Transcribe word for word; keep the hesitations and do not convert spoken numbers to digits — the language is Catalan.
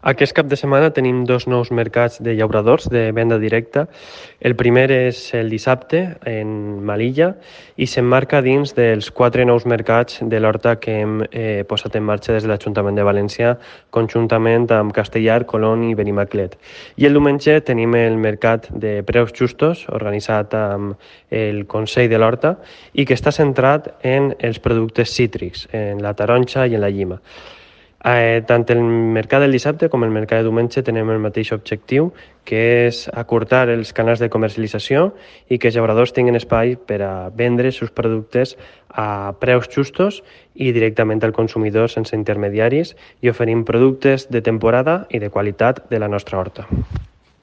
Aquest cap de setmana tenim dos nous mercats de llauradors de venda directa. El primer és el dissabte en Melilla i s'emmarca dins dels quatre nous mercats de l'horta que hem eh, posat en marxa des de l'Ajuntament de València conjuntament amb Castellar, Colón i Benimaclet. I el diumenge tenim el mercat de preus justos organitzat amb el Consell de l'Horta i que està centrat en els productes cítrics, en la taronja i en la llima. Eh, tant el mercat del dissabte com el mercat de diumenge tenem el mateix objectiu, que és acurtar els canals de comercialització i que els llauradors tinguin espai per a vendre els seus productes a preus justos i directament al consumidor sense intermediaris i oferint productes de temporada i de qualitat de la nostra horta.